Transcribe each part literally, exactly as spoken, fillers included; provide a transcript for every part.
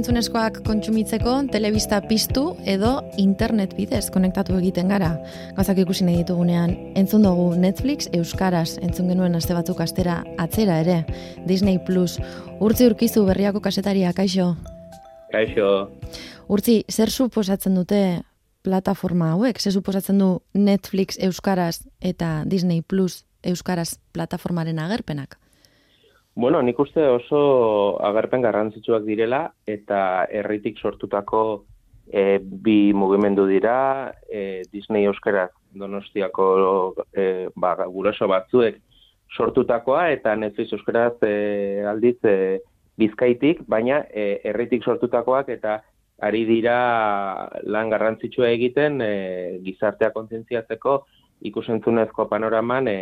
ikus-entzunezkoak kontsumitzeko telebista piztu edo internet bidez konektatu egiten gara. Gauzak ikusi nahi ditugunean, entzun dugu Netflix euskaraz, entzun genuen aste batzuk astera atzera ere, Disney Plus. Urtzi Urkizu, Berriako kasetaria, kaixo? Kaixo. Urtzi, zer suposatzen dute plataforma hauek? Zer suposatzen du Netflix euskaraz eta Disney Plus euskaraz plataformaren agerpenak? Bueno, nik uste oso agerpen garrantzitsuak direla eta herritik sortutako e, bi mugimendu dira, e, Disney euskaraz Donostiako e, ba, guraso batzuek sortutakoa eta Netflix euskaraz e, aldiz e, Bizkaitik, baina e, herritik sortutakoak eta ari dira lan garrantzitsua egiten e, gizartea kontzientziatzeko ikusentzunezko panoraman e,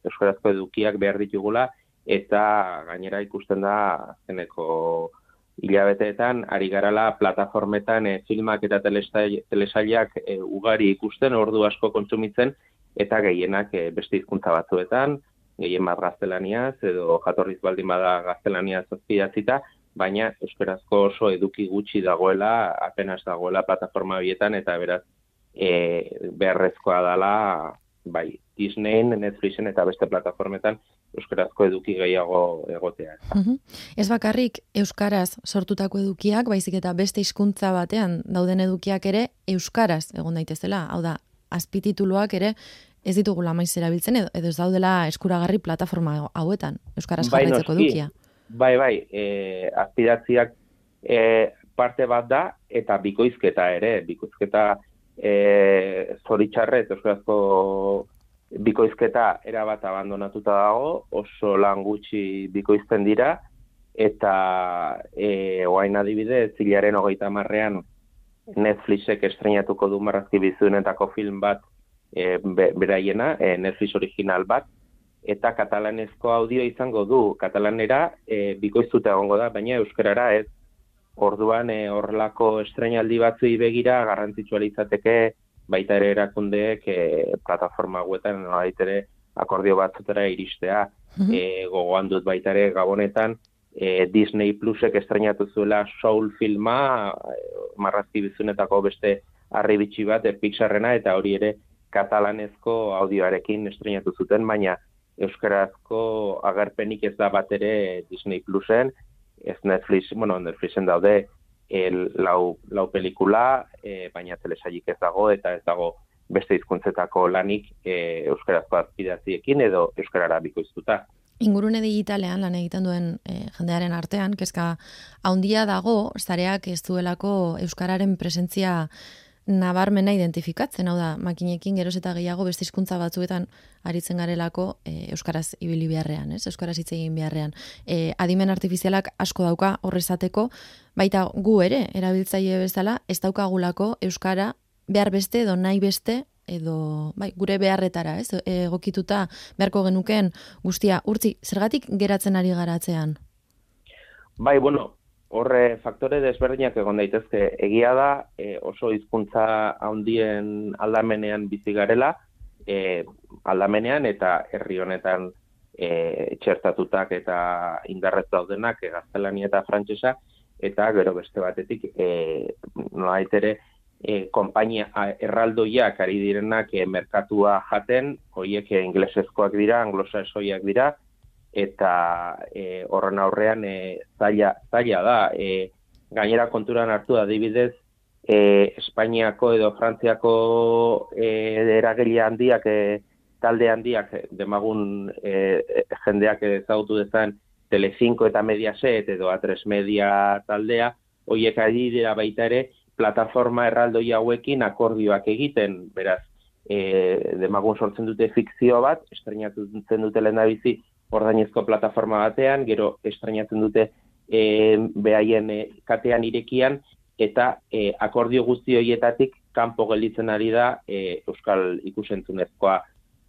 euskarazko edukiak behar ditugula, eta gainera ikusten da zeneko hilabeteetan ari garala plataformetan e, filmak eta telesailak e, ugari ikusten, ordu asko kontsumitzen, eta gehienak e, beste hizkuntza batzuetan, gehien bat gaztelaniaz, edo jatorriz baldin bada gaztelaniaz azpidatzita, baina euskarazko oso eduki gutxi dagoela, apenas dagoela plataforma horietan, eta beraz e, beharrezkoa dela bai Disneyn, Netflixen eta beste plataformetan euskarazko eduki gehiago egotea. Uh-huh. Ez bakarrik euskaraz sortutako edukiak, baizik eta beste hizkuntza batean dauden edukiak ere euskaraz egon daitezela. Hau da, azpitituluak ere ez ditugula maiz erabiltzen edo, edo ez daudela eskuragarri plataforma hauetan, euskaraz jarraitzeko bai, edukia. Bai, bai, e, azpidatziak e, parte bat da eta bikoizketa ere, bikoizketa e, zoritxarrez euskarazko bikoizketa erabat abandonatuta dago, oso lan gutxi bikoizten dira, eta e, oain adibidez, zilaren hogeita hamarrean Netflixek estreinatuko du marrazki bizunetako film bat e, be, beraiena, e, Netflix original bat, eta katalanezko audio izango du, katalanera e, bikoiztuta egongo da, baina euskarara ez. Orduan e, horrelako estreinaldi batzui begira garrantzitsua litzateke baita ere erakundeek e, plataforma hauetan nolabait ere akordio batzutara iristea. Mm-hmm. E, gogoan dut baita ere Gabonetan e, Disney Plusek estreinatu zuela Soul filma, e, marrazki bizunetako beste harribitxi bat, e, Pixarrena, eta hori ere katalanezko audioarekin estreinatu zuten, baina euskarazko agerpenik ez da bat ere Disney Plusen, ez Netflix, bueno, Netflixen daude El, lau, lau pelikula, e, baina telesailik ez dago, eta ez dago beste hizkuntzetako lanik e, euskarazko azpidatziekin edo euskarara bikoiztuta. Ingurune digitalean lan egiten duen e, jendearen artean, kezka haundia dago, zareak ez duelako euskararen presentzia nabarmena identifikatzen, hau da, makinekin geroz eta gehiago beste hizkuntza batzuetan aritzen garelako e, euskaraz ibili beharrean, ez? Euskaraz hitz egin beharrean. E, adimen artifizialak asko dauka horrezateko, baita gu ere, erabiltzaile bezala, ez daukagulako euskara behar beste edo nahi beste, edo bai, gure beharretara, ez? Egokituta beharko genuken guztia. Urtzi, zergatik geratzen ari garatzean? Bai, bueno, horre faktore desberdinak egon daitezke. Egia da, e, oso hizkuntza handien aldamenean bizi garela, e, aldamenean eta herri honetan e, txertatutak eta indarrez daudenak, e, gaztelania eta frantsesa, eta gero beste batetik, e, nolabait ere, e, konpainia erraldoiak ari direnak e, merkatua jaten, horiek e, inglesezkoak dira, anglosaxoiak dira, eta e, horren aurrean e, zaila, zaila da. E, gainera konturan hartu adibidez, e, Espainiako edo Frantziako e, eragile handiak, e, talde handiak, demagun e, jendeak ezagutu dezan Telecinco eta Mediaset edo A tres Media taldea, horiek ari dira baita ere plataforma erraldoi hauekin akordioak egiten, beraz, e, demagun sortzen dute fikzio bat, estreinatzen dute lehendabizi ordainezko plataforma batean, gero estreinatzen dute e, behaien e, katean irekian, eta e, akordio guzti horietatik kanpo gelditzen ari da e, euskal ikusentzunezkoa.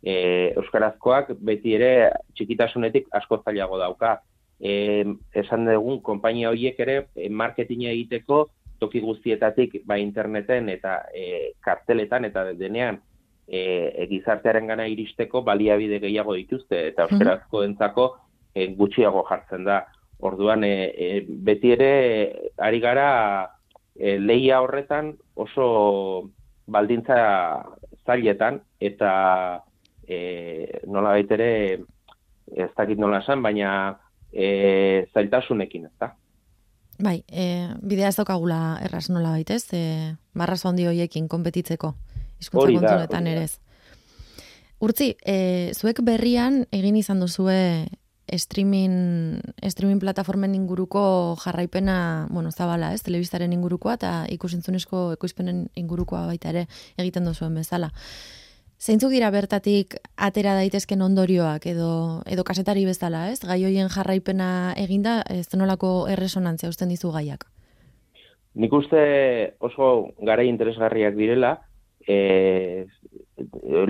E, euskarazkoak beti ere txikitasunetik asko zailago dauka. E, esan dugun, konpainia horiek ere e, marketinga egiteko toki guztietatik, bai interneten eta e, karteletan eta denean E, gizartearen gana iristeko baliabide gehiago dituzte, eta euskarazko entzako e, gutxiago jartzen da. Orduan, e, e, beti ere ari gara e, lehia horretan oso baldintza zailetan, eta e, nola baitere, ez dakit nola esan, baina e, zailtasunekin, ez da? Bai, e, bidea ez daukagula erraz nola baitez, e, marrazo handi horiekin konpetitzeko, hizkuntza kontunetan ere ez. Urtzi, e, zuek berrian egin izan duzue streaming, streaming plataformen inguruko jarraipena, bueno, zabala, ez, telebistaren ingurukoa eta ikusentzunezko ekoizpenen ingurukoa baita ere egiten duzuen bezala. Zeintzuk dira bertatik atera daitezken ondorioak edo edo kasetari bezala, ez? Gai hoien jarraipena eginda, ez nolako erresonantzia uzten dizu gaiak? Nik uste oso garai interesgarriak direla, e,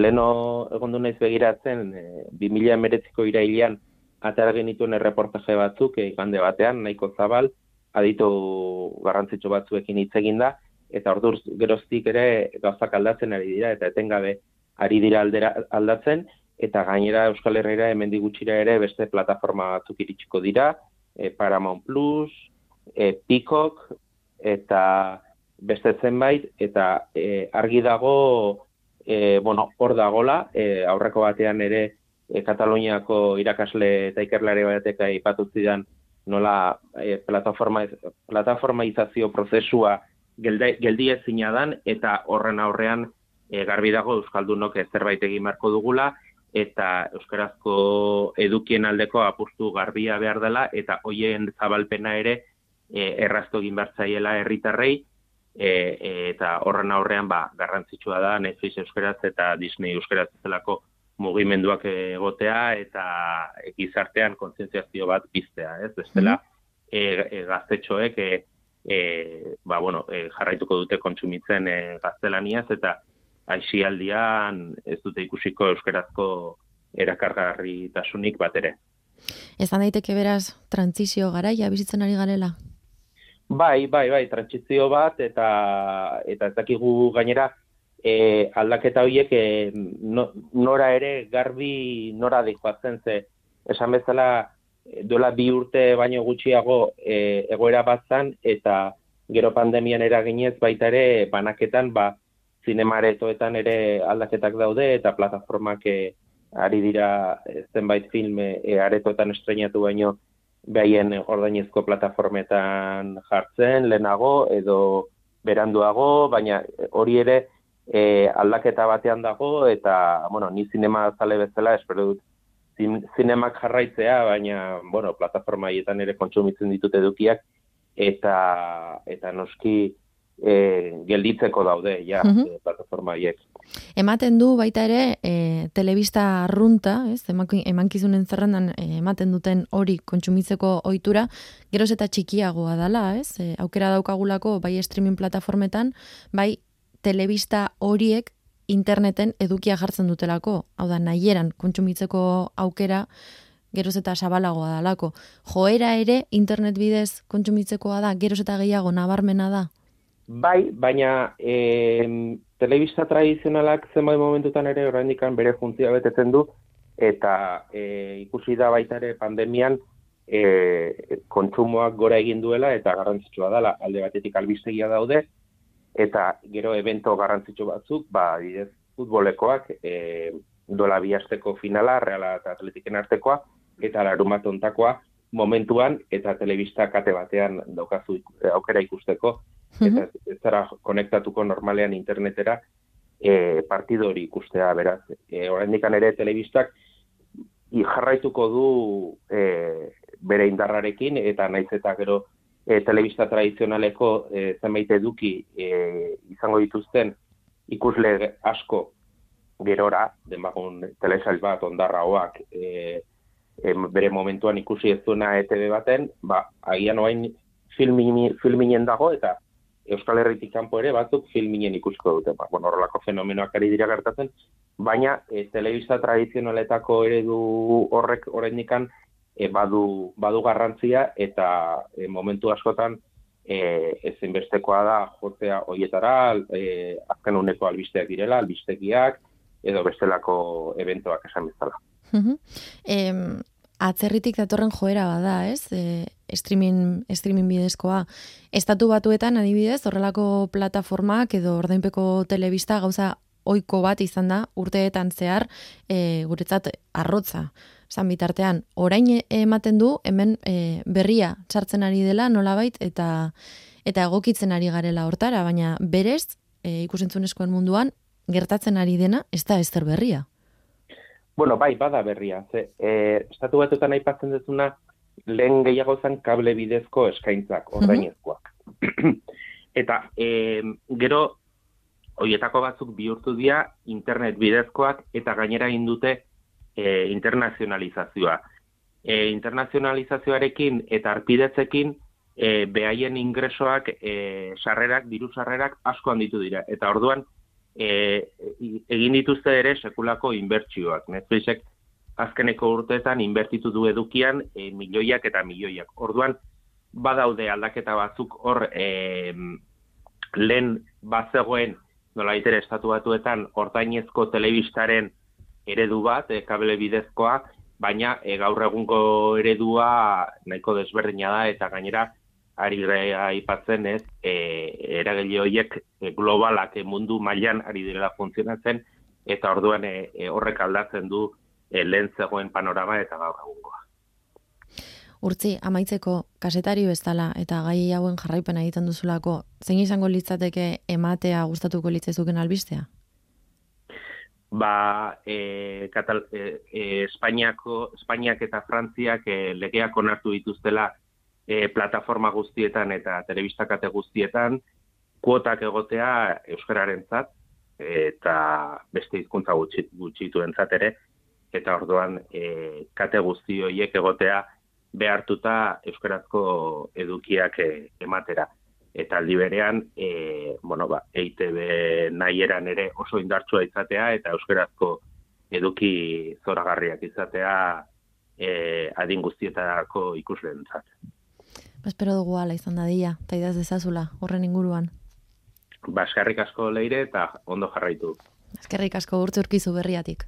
leno egondu naiz begiratzen, e, bi mila hemeretziko irailean atera genituen erreportaje batzuk, e, igande batean, nahiko zabal, aditu garrantzitsu batzuekin hitz eginda, eta orduz geroztik ere gauzak aldatzen ari dira, eta etengabe ari dira aldera, aldatzen, eta gainera Euskal Herriera hemendik gutxira ere beste plataforma batzuk iritsiko dira, e, Paramount Plus, e, Peacock, eta beste zenbait, eta e, argi dago, e, bueno, hor dagola, e, aurreko batean ere e, Kataluniako irakasle eta ikerlari batek aipatu zidan nola e, plataforma, plataformaizazio prozesua geldi, geldi ezina dan, eta horren aurrean E, garbi dago euskaldunok zerbait egin beharko dugula, eta euskarazko edukien aldeko apustu garbia behar dela, eta hoien zabalpena ere e, erraztu egin behar zaiela herritarrei, e, e, eta horren aurrean ba, garrantzitsua da Netflix euskaraz eta Disney euskaraz zelako mugimenduak egotea, eta gizartean kontzientziazio bat piztea, ez? Bestela, e, e, gaztetxoek e, e, ba, bueno, e, jarraituko dute kontsumitzen e, gaztelaniaz, eta aisialdian ez dute ikusiko euskarazko erakargarritasunik bat ere. Ezan daiteke beraz, trantsizio garaia bizitzen ari garela? Bai, bai, bai, trantsizio bat, eta eta ez dakigu gainera e, aldaketa horiek e, no, nora ere garbi nora dijoatzen, ze esan bezala duela bi urte baino gutxiago e, egoera bat zan, eta gero pandemian eraginez baita ere banaketan, ba, zinemaretoetan ere aldaketak daude, eta plataformak e, ari dira zenbait film e, aretoetan estreinatu baino behaien ordainezko plataformetan jartzen, lehenago edo beranduago, baina hori ere e, aldaketa batean dago, eta, bueno, ni zinema zale bezala, espero dut zin, zinemak jarraitzea, baina, bueno, plataforma haietan ere kontsumitzen ditut edukiak, eta, eta noski E, gelditzeko daude, ja, uh-huh. e, plataforma haiek. Ematen du baita ere, e, telebista arrunta, ez, emankizunen zerrendan e, ematen duten hori kontsumitzeko ohitura, geroz eta txikiagoa dala, ez, e, aukera daukagulako bai streaming plataformetan, bai telebista horiek interneten edukia jartzen dutelako, hau da, nahieran kontsumitzeko aukera, geroz eta zabalagoa dalako. Joera ere internet bidez kontsumitzekoa da, geroz eta gehiago nabarmena da? Bai, baina e, telebista tradizionalak zenbait momentutan ere oraindik bere funtzioa betetzen du, eta e, ikusi da baita ere pandemian e, kontsumoak gora egin duela, eta garrantzitsua dela, alde batetik albistegia daude, eta gero evento garrantzitsu batzuk, ba, bidez, futbolekoak, e, dola bi asteko finala, Reala eta Atletiken artekoa, eta larumat ontakoa momentuan, eta telebista kate batean daukazu aukera ikusteko, eta ez zara konektatuko normalean internetera e, partido hori ikustea, beraz. E, Oraindikan ere telebistak jarraituko du e, bere indarrarekin, eta naiz eta gero e, telebista tradizionaleko e, zenbait eduki e, izango dituzten ikusle asko gerora, denbagun telesail bat ondarraoak e, e, bere momentuan ikusi ez duena E T V baten, ba, agian oain filminen filminen dago, eta Euskal Herritik kanpo ere batzuk filminen ikusiko dute. Ba, bueno, horrelako fenomenoak ari dira gertatzen, baina e, telebista tradizionaletako eredu horrek oraindikan e, badu, badu garrantzia, eta e, momentu askotan e, ezinbestekoa da jotzea hoietara, e, azken uneko albisteak direla, albistegiak, edo bestelako eventoak esan bezala. Uh-huh. Em, atzerritik datorren joera bada, ez? E, streaming, streaming bidezkoa. Estatu Batuetan adibidez, horrelako plataformak edo ordainpeko telebista gauza ohiko bat izan da urteetan zehar e, guretzat arrotza. Zan bitartean, orain ematen du hemen e, berria txartzen ari dela nolabait eta eta egokitzen ari garela hortara, baina berez e, ikusentzunezkoen munduan gertatzen ari dena ez da ezer berria. Bueno, bai, bada berria. Ze, e, estatu Batuetan aipatzen dezuna lehen gehiago zen kable bidezko eskaintzak, ordainezkoak. Eta e, gero hoietako batzuk bihurtu dira internet bidezkoak eta gainera egin dute e, internazionalizazioa. E, internazionalizazioarekin eta arpidetzekin e, behaien ingresoak, e, sarrerak, diru sarrerak asko handitu dira. Eta orduan e, egin dituzte ere sekulako inbertsioak. Netflixek azkeneko urteetan inbertitu du edukian e, milioiak eta milioiak. Orduan badaude aldaketa batzuk hor e, lehen bazegoen nola itere Estatu Batuetan ordainezko telebistaren eredu bat, e, kable bidezkoa, baina e, gaur egungo eredua nahiko desberdina da eta gainera ari aipatzen ez, e, eragile horiek e, globalak e, mundu mailan ari direla funtzionatzen eta orduan e, e, horrek aldatzen du e, lehen zegoen panorama eta gaur egungoa. Urtzi, amaitzeko kasetari bezala eta gai hauen jarraipena egiten duzulako, zein izango litzateke ematea gustatuko litzaizuken albistea? Ba, e, Katal, e, e, Espainiako, Espainiak eta Frantziak e, legeak onartu dituztela e, plataforma guztietan eta telebista kate guztietan kuotak egotea euskararentzat eta beste hizkuntza gutxi, gutxituentzat ere, eta orduan e, kate guzti horiek egotea behartuta euskarazko edukiak e, ematera. Eta aldi berean, e, bueno, ba, E I Te Be nahieran ere oso indartsua izatea eta euskarazko eduki zoragarriak izatea e, adin guztietako ikusleentzat. Espero dugu ala izan dadila, eta idaz dezazula, horren inguruan. Ba, eskerrik asko Leire eta ondo jarraitu. Eskerrik asko Urtzi Urkizu Berriatik.